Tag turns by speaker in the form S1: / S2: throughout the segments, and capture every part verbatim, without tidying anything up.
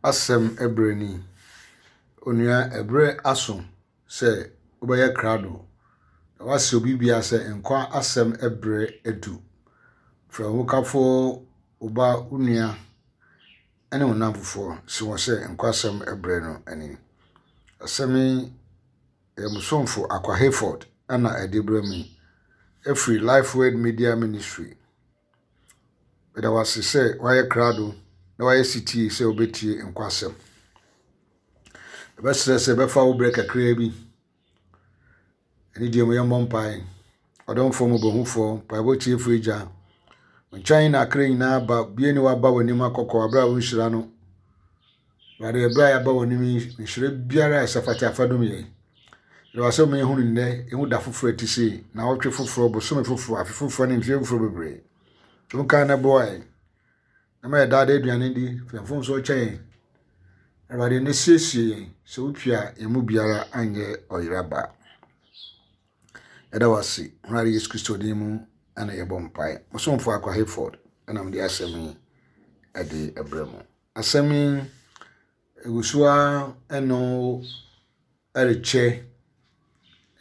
S1: Asɛm berɛ ni. Onua, ɛberɛ aso sɛ wobɛyɛ krado na woasrɛ obi biara sɛ nkwa asɛm berɛ adu. Frɛ wo hokafoɔ, wo ba, wo nua ne wo nnamfofoɔ si wɔn sɛ nkwa asɛm berɛ no ni. Asɛm yi, ɛyɛ mo somfo Akwa Hayford ɛna ɛde brɛ me ɛfiri Life Word Media Ministry. Meda wo ase sɛ woayɛ krado na woayɛ setie sɛ wobɛtie nkwa asɛm. Ɛbɛsrɛ sɛ ɛbɛfa wo berɛ kakraa bi. Ɛne deɛ mu yɛmmɔ mpae. Ɔdomfoɔ mmɔborɔhufoɔ, mpaebɔ tiefoɔ agya. Wo nkyɛn na akra nyinaa ba, bie ne waba w'anim akɔkɔ aberɛ a wonhyira no. Awurade, ɛberɛ a yɛaba w'anim yi, nhyira biara a ɛsɛ fata afa dom yɛn. Yɛda wo ase ma yɛhunu nnɛ, yɛhu da foforɔ a ɛte sei, naawɔtwe foforɔ, bosome foforɔ, afe foforɔ ne mfeɛ foforɔ bebree. Wonkae na boa yɛn. Na ma yɛ daadaa aduane di, fa yɛn mfomsoɔ kyɛ yɛn. Awurade, ne siesie yɛn sɛ wopue a yɛn mu biara anyɛ ɔyera ba. Yɛda wo ase, Awurade Yesu Kristo din mu ɛna yɛbɔ mpae. Mo somfo Akwa Hayford ɛna mede asɛm yi ɛde ɛbrɛ mo. Asɛm yi egu so ara ɛno ɛrekyɛ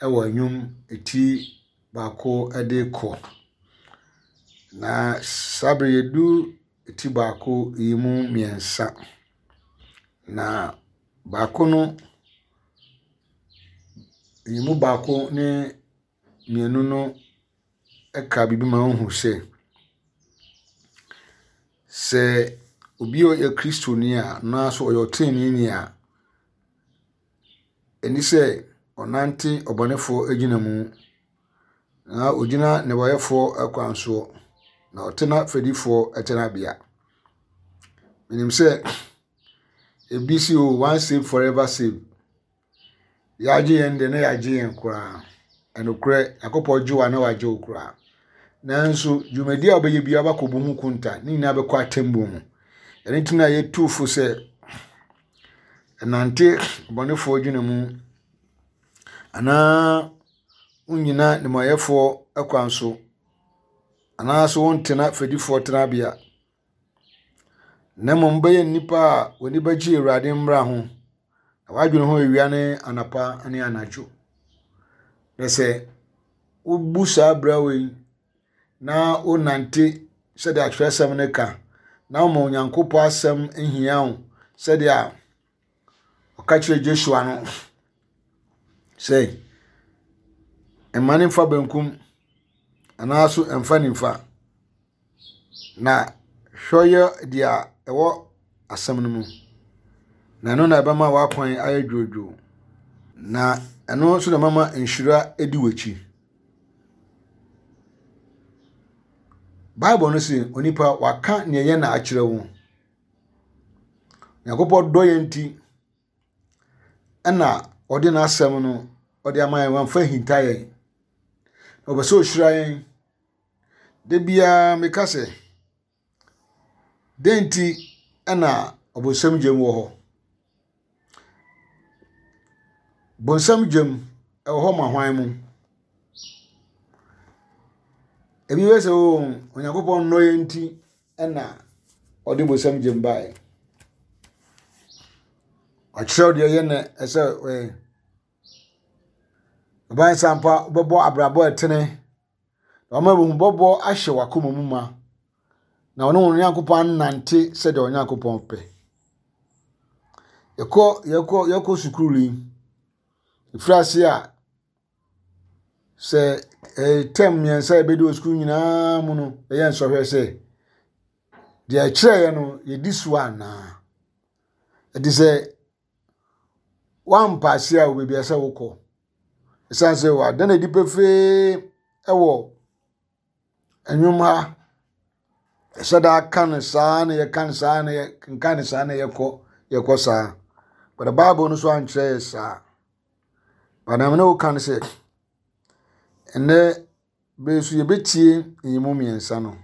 S1: ɛwɔ nnwom eti baako ɛde kɔ. Na saa bere yɛdu eti baako yi mu mmiɛnsa. Na baako no, yi mu baako ne mmienu no ɛka biribi ma wohu sɛ, sɛ obi a ɔyɛ Kristoni a anaasɛ ɔyɛ ɔteneneeni a, ɛni sɛ ɔnante ɔbɔnefoɔ agyina mu na ogyina nnebɔneyɛfoɔ kwan soɔ na ɔtena fɛdifoɔ tenabea. Menim sɛ ebi si o once save forever save. Yɛagye yɛn deɛ na yɛagye yɛn koraa. Ɛnokorɛ, Nyankopɔn gye wo a na wagye wo koraa. Nanso dwumadi a wobɛyɛ biara wobɛkɔbu ho konta. Ne nyinaa bɛkɔ atemmuo mu. Ɛno nti na yɛtu fo sɛ ɛnante ɔbɔnefoɔ dwene mu anaa wonnyina nnebɔneyɛfoɔ kwan so anaasɛ wontena fɛdifoɔ tenabea. Na mmom wobɛyɛ nnipa a w'ani bɛgye Awurade mmara ho na w'adwene ho awia ne anɔpa ne anadwo. Na sɛ wobu saa bra wei na wonante sɛdeɛ atwerɛsɛm no ka na woma Onyankopɔn asɛm hia wo sɛdeɛ ɔka kyerɛ Joshua no sɛ mma ne mfa benkum anaasɛ mfa nimfa na hwɛ yɛ deɛ ɛwɔ asɛm no mu na ɛno na ɛbɛma w'akwan ayɛ dwoodwoo na ɛno nso na ɛbɛma nhyira adi w'akyi. Bible no se onipa waka nea ɛyɛ na akyerɛ wo. Nyankopɔn dɔ yɛn nti ɛna ɔde n'asɛm no ɔde ama yɛn wamfa hinta yɛn. Na ɔpɛ sɛ ɔhyira yɛn. Da biara meka sɛ dɛn nti ɛna ɔbonsam gyam wɔ hɔ? Bonsam gyam ɛwɔ hɔ ma hwan mu? Ebi bɛ sɛ o Onyankopɔn nnɔ yɛn nti ɛna ɔde bonsam gyam baeɛ. Ɔkyerɛw deɛ ɛyɛ na ɛsɛ ɛɛ ɔban sampa wobɛbɔ abrabɔ a ɛtene na ɔma ahummɔbɔ ahyɛ w'akoma mu ma na ɔne wɔn Nyankopɔn anante sɛdeɛ Onyankopɔn pɛ. Yɛkɔ yɛkɔ yɛkɔ sukuu yi, ɛfiri ase a sɛ ɛyɛ term mmiɛnsa a yɛbɛdi wɔ sukuu nyinaa mu no ɛyɛ nsɔhwɛ sɛ deɛ ɛkyerɛeɛ no yɛdi so anaa. Ɛte sɛ woampa ase a wɔ baabi a ɛsɛ wokɔ. Ɛsiane sɛ wada no adi pefee ɛwɔ nnwom ha. Ɛhyɛ da aka no saa na yɛka no saa na yɛnka no saa na yɛkɔ yɛkɔ saa. But the Bible no so ankyerɛ yɛ saa. But na mene woka no sɛ ɛnnɛ bere so yɛbɛtie nyimu mmiɛnsa no.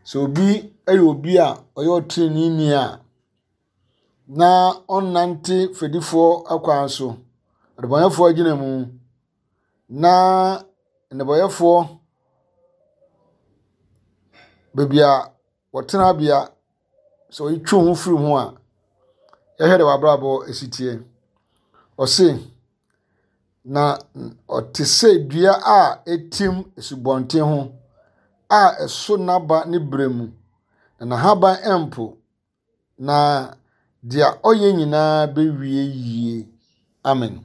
S1: Sɛ obi yɛ obi a ɔyɛ ɔteneneeni a na ɔnnante fɛdifoɔ akwan so, adebɔneyɛfoɔ agyina mu, na nnebɔneyɛfoɔ baabi a wɔtenabea sɛ ɔtwe wo ho firi ho a, Yɛhwɛ de w'abrabɔ esi tie. Ɔse, na ɔte sɛ dua a etim asubɔnten ho a ɛso n'aba ne berɛ mu, na n'ahaban mpo, na deɛ ɔyɛ nyinaa bɛwie yie. Amen.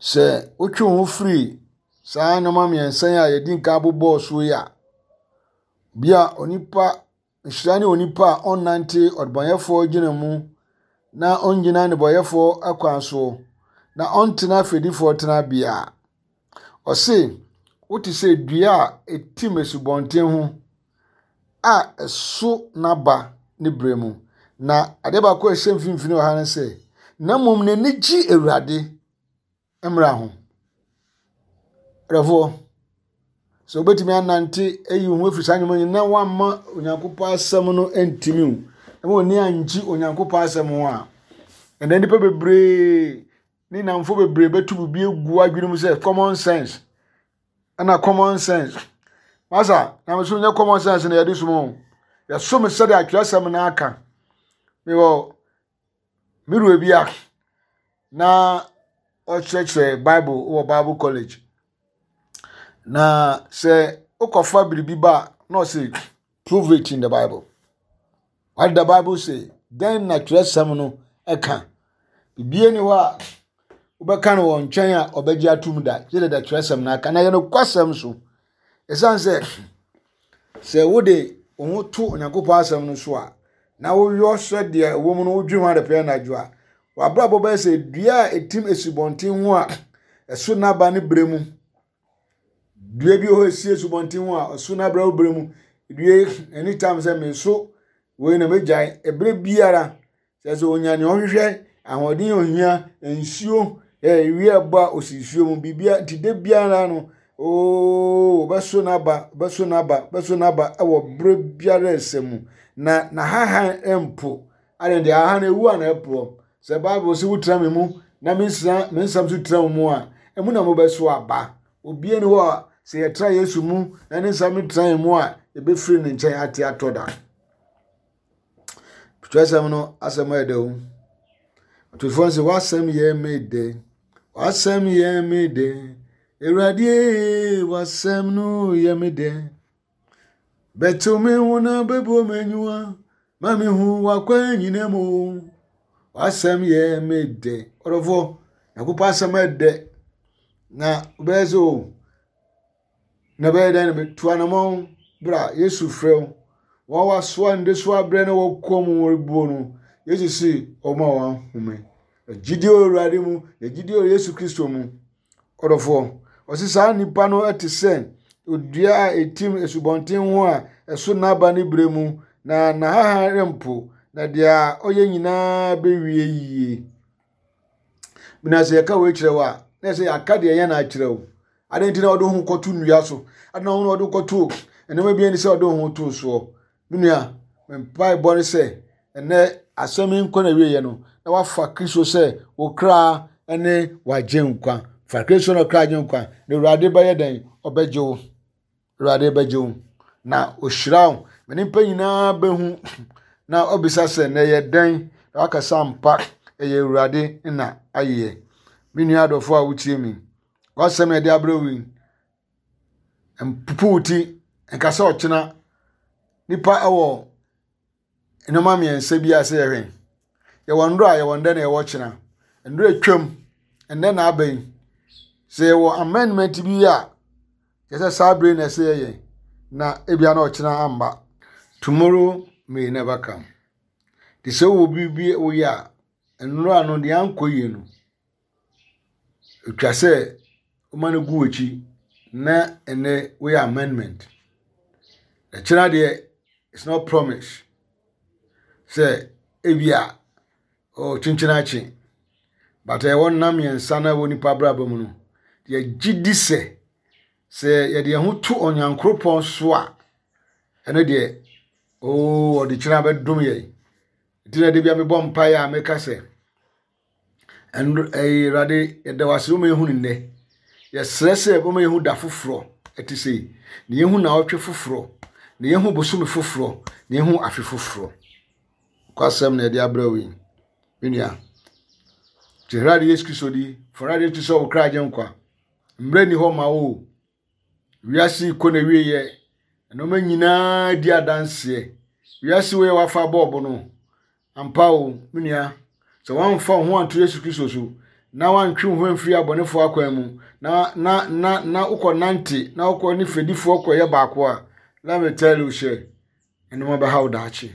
S1: Sɛ wotwe wo ho firi saa nneɛma mmiɛnsa yi a yɛdi nka abobɔɔ so yi a, bia onipa nhyira ne onipa a ɔnnante ɔdebɔnyɛfoɔ gyina mu na ɔngyina nnebɔnyɛfoɔ akwan so na ɔntena afɛdifoɔ tenabea. Ɔse, wote sɛ dua a etim asubɔnten ho a ɛso n'aba ne berɛ mu. Na adeɛ baako a ɛhyɛ mfimfini wɔ ha ne sɛ, na mmom n'ani gye Awurade mmara ho. Adɔfoɔ, sɛ wobɛtumi anante ayi wo ho afiri saa nneɛma yi na woamma Onyankopɔn asɛm no antimi wo, na w'ani angye Onyankopɔn asɛm ho a, ɛnnɛ nnipa bebree ne nnamfo bebree bɛto biribi agu adwene mu sɛ common sense. Ɛna common sense. Masa, nyamesom nyɛ common sense na yɛde som o. Yɛsom sɛdeɛ atwerɛsɛm no aka. Mewɔ me wura bi a na ɔkyerɛkyerɛ Bible wɔ Bible college. Na sɛ wokɔfa biribi ba a, na ɔse prove it in the Bible. What did the Bible say? Then na twerɛsɛm no ɛka. Biribiara ni hɔ a wobɛka no wɔ nkyɛn a ɔbɛgye atom da. Gye dɛ twerɛsɛm no aka. Na yɛ nokwasɛm so. Ɛsiane sɛ sɛ wode wo ho to Onyankopɔn asɛm no so a, na woyɔ sɛdeɛ ɛwɔ mu no wodwene ho adepɛ anadwo a, w'abrabɔ bɛyɛ sɛ dua a ɛtim asubɔnten ho a ɛso n'aba ne berɛ mu. Dua bi wɔ hɔ a ɛsi asubɔnten ho a ɛso n'aba wɔ berɛ mu. Dua yi, anytime sɛ meso wei na megyae. Ɛberɛ biara, sɛ sɛ onya nea ɔhwehwɛ, ahoɔden a ohia, nsuo, ewia ɛbɔ a osi nsuo mu, biribiara nti da biara no, ooo ɔbɛso n'aba, ɔbɛso n'aba, ɔbɛso n'aba ɛwɔ berɛ biara ɛsɛ mu. Na n'ahahan mpo, ade deɛ ahahan ewu a na ɛporɔ. Sɛ Bible sɛ wotena me mu na me nsɛm me nsɛm nso tena wo mu a, ɛmu na mobɛso aba. Obiara ni hɔ a sɛ yɛtena Yesu mu na ne nsɛm tena yɛn mu a, yɛbɛfiri ne nkyɛn ate atɔ da. Twerɛsɛm no asɛm ayɛ dɛ o. Ɔtwerɛfoɔ sɛ w'asɛm yɛ me dɛ, w'asɛm yɛ me dɛ, Awurade w'asɛm no yɛ me dɛ. Bɛtew me ho na bɛbɔ m'aniwa, ma me hu w'akwan nyinaa mu. W'asɛm yɛ me dɛ. Ɔdɔfoɔ, Nyankopɔn asɛm yɛ dɛ. Na wobɛyɛ sɛ o, na bɛyɛ dɛn na metu anammɔn bra Yesu frɛ wo. Wɔn wasoa ndesoa abrɛ na wɔkɔ mu rebuo no, Yesu si ɔma wɔn ahome. Gyidie wɔ Awurade mu, na gyidie wɔ Yesu Kristo mu. Ɔdɔfoɔ, ɔsi saa nnipa no te sɛ odua a etim asubɔnten ho a ɛso n'aba ne berɛ mu, na n'ahahan rempo, na deɛ ɔyɛ nyinaa bɛwie yie. Mina sɛ yɛka wei kyerɛ wo a, na sɛ yɛaka deɛ ɛyɛ na akyerɛ wo. Adɛn nti na wɔde wo ho kɔto nnua so? Adɛn na wɔde wo kɔto nneɛma bi ani sɛ wɔde wo ho to soɔ? Me nua, me mpaebɔ ne sɛ ɛnɛ asɛm yi nkɔ na wieɛ no, na wafa Kristo sɛ wo kra ne wagye nkwa. Fa Kristo na kra gye nkwa, na Awurade bɛyɛ dɛn? Ɔbɛgye wo. Awurade bɛgye wo. Na ohyira wo. Ma nnipa nyinaa bɛhu na ɔbisa sɛ na ɛyɛ dɛn? Na wakasa mpa, ɛyɛ Awurade na ayɛ. Me nua adɔfoɔ a wotie mi, w'asɛm a yɛde abrɛ wo yi, mpupu wo ti, nka sɛ ɔkyena. Nipa wɔ nneɛma mmiɛnsa bi a sɛ yɛhwɛ. Yɛwɔ nnora a yɛwɔ ndɛ na yɛwɔ kyena. Nnora atwam, ɛnnɛ na aba yi. Sɛ yɛwɔ amendment bi a, kyerɛ sɛ saa bere na ɛsɛ yɛyɛ, na ebia na ɔkyena amba. Tomorrow may never come. Te sɛ wowɔ biribi woyɛ a, nnora no deɛ ankɔ yie no, etwa sɛ woma no gu w'akyi na ɛnɛ woyɛ amendment. Ɛkyena deɛ, it's not promise sɛ ebia ɔkyenkyene akye. But ɛwɔ nna mmiɛnsa na ɛwɔ nipa abrabɔ mu no, yɛgye di sɛ sɛ yɛde yɛn ho to Onyankopɔn so a, ɛno deɛ oo ɔde kyena bɛdom yɛn. Nti na de bia mebɔ mpaeɛ a meka sɛ, ɛno ɛyɛ Awurade yɛda wo ase woma yɛhu no nnɛ. Yɛsrɛ sɛ woma yɛhu da foforɔ ɛte sei. Na yɛhu naawɔtwe foforɔ, na yɛhu bosome foforɔ, na yɛhu afe foforɔ. Kwasɛm na yɛde abrɛ wo yi. Me nua, gye Awurade Yesu Kristo di, fa Awurade Yesu Kristo sɛ wo kra agyenkwa. Mmerɛ ni hɔ ma wo o. Wiase kɔ na wieɛ. Nneɛma nyinaa di adanseɛ. Wiase wei a wafa bɔɔbo no, ampa o, me nua, sɛ woamfa wo ho anto Yesu Kristo so, na woantwe wo ho amfiri abɔnefoɔ akwan mu, na na na na wokɔ nante, na wokɔ ne fɛdifoɔ kɔyɛ baako a, let me tell you sɛ, nneɛma bɛha wo daakye.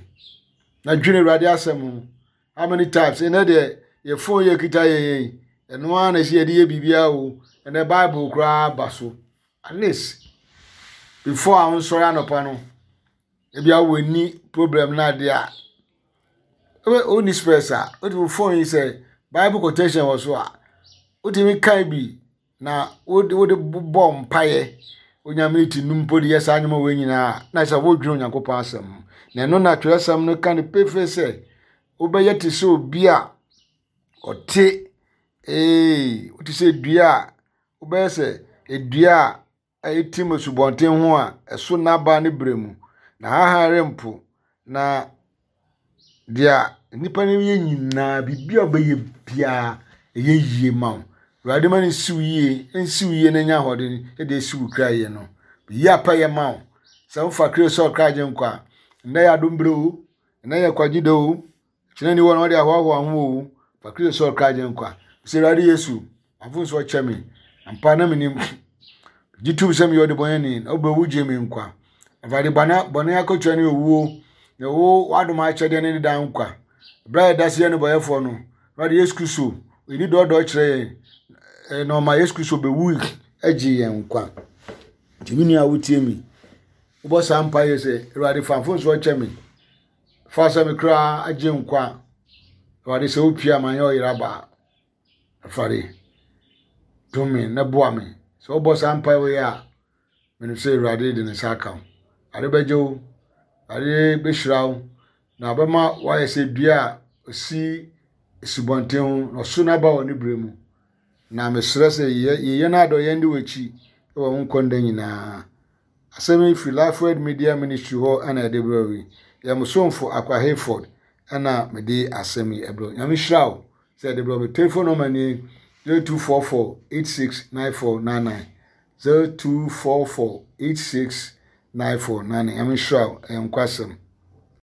S1: Na dwene Awurade asɛm ho. How many times? Ɛnɛ deɛ, yɛ phone yɛ kita yɛn yɛn. Ɛno ara na ɛsɛ yɛde yɛ biribiara o. Ɛnɛ Bible koraa ba so. At least, before a wonsɔre anɔpa no, ebi a w'ani problem na adeɛ a, wonni stress a, wode wo phone yi sɛ Bible quotation wɔ so a, wotumi kan bi na wode wode bɔ mpaeɛ. Wonya minute num mpo de yɛ saa nnwuma wei nyinaa na sɛ wodwene Onyankopɔn asɛm ho. Na ɛno na twerɛsɛm no ka no pefee sɛ, wobɛyɛ te sɛ obi a ɔte ee wote sɛ dua a wobɛyɛ sɛ edua a ɛtim asubɔnten ho a ɛso n'aba ne berɛ mu na hahan rempo na deɛ nnipa no yɛ nyinaa biribi a wobɛyɛ biara ɛyɛ yie ma wo. Awurade ma no nsi wo yie, nsi wo yie na nya ahoɔden ɛde esi wo kra yie no. Yi apɛyɛ ma wo. Sɛ wofa Kristo sɛ ɔkra agyenkwa a, nnɛ yɛ adom berɛ o, nnɛ yɛ kwagye da o, kyerɛ ni wɔ na wɔde ahoahoa ho o, fa Kristo sɛ ɔkra agyenkwa. Sɛ Awurade Yesu, mfomsoɔ kyɛ me. Ampa na menim. Gye tom sɛ meyɛ ɔdebɔneyɛni na wobɛwu gye me nkwa. Awurade bɔne bɔne akatua ne owuo, na wo w'adom akyɛdeɛ ne ne daa nkwa. Berɛ a yɛda so yɛ nnebɔneyɛfoɔ no, Awurade Yesu Kristo, ɔyi dɔɔdɔɔ kyerɛ yɛn, na ɔma Yesu Kristo bɛwu agye yɛn nkwa. Nti me nua a wotie mi, wobɔ saa mpaeɛ sɛ, Awurade fa mfomsoɔ kyɛ me. Fa sɛ me kra agye nkwa. Awurade sɛ wopie a ma nyɛ ɔyera baa. Awurade, dom me na boa me. Sɛ wobɔ saa mpaeɛ wei a, menim sɛ Awurade de ne nsa aka wo. Awurade bɛgye wo, Awurade bɛhyira wo, na ɔbɛma woayɛ sɛ dua a osi asubɔnten ho na ɔso n'aba wɔ ne berɛ mu. Na mesrɛ sɛ yɛyɛ no adɔ yɛn de w'akyi wɔ wo nkwa nna nyinaa. Asɛm yi firi Lifeword Media Ministry hɔ ɛna ɛde brɛ wo yi. Yɛ mo somfo Akwa Hayford ɛna mede asɛm yi ɛbrɛ wo. Nyame hyira wo sɛ ɛde brɛ wo. Me telephone number nie zero two four four eight six nine four nine nine zero two four four eight six nine four nine nine. Nyame hyira wo. Ɛyɛ nkwasɛm.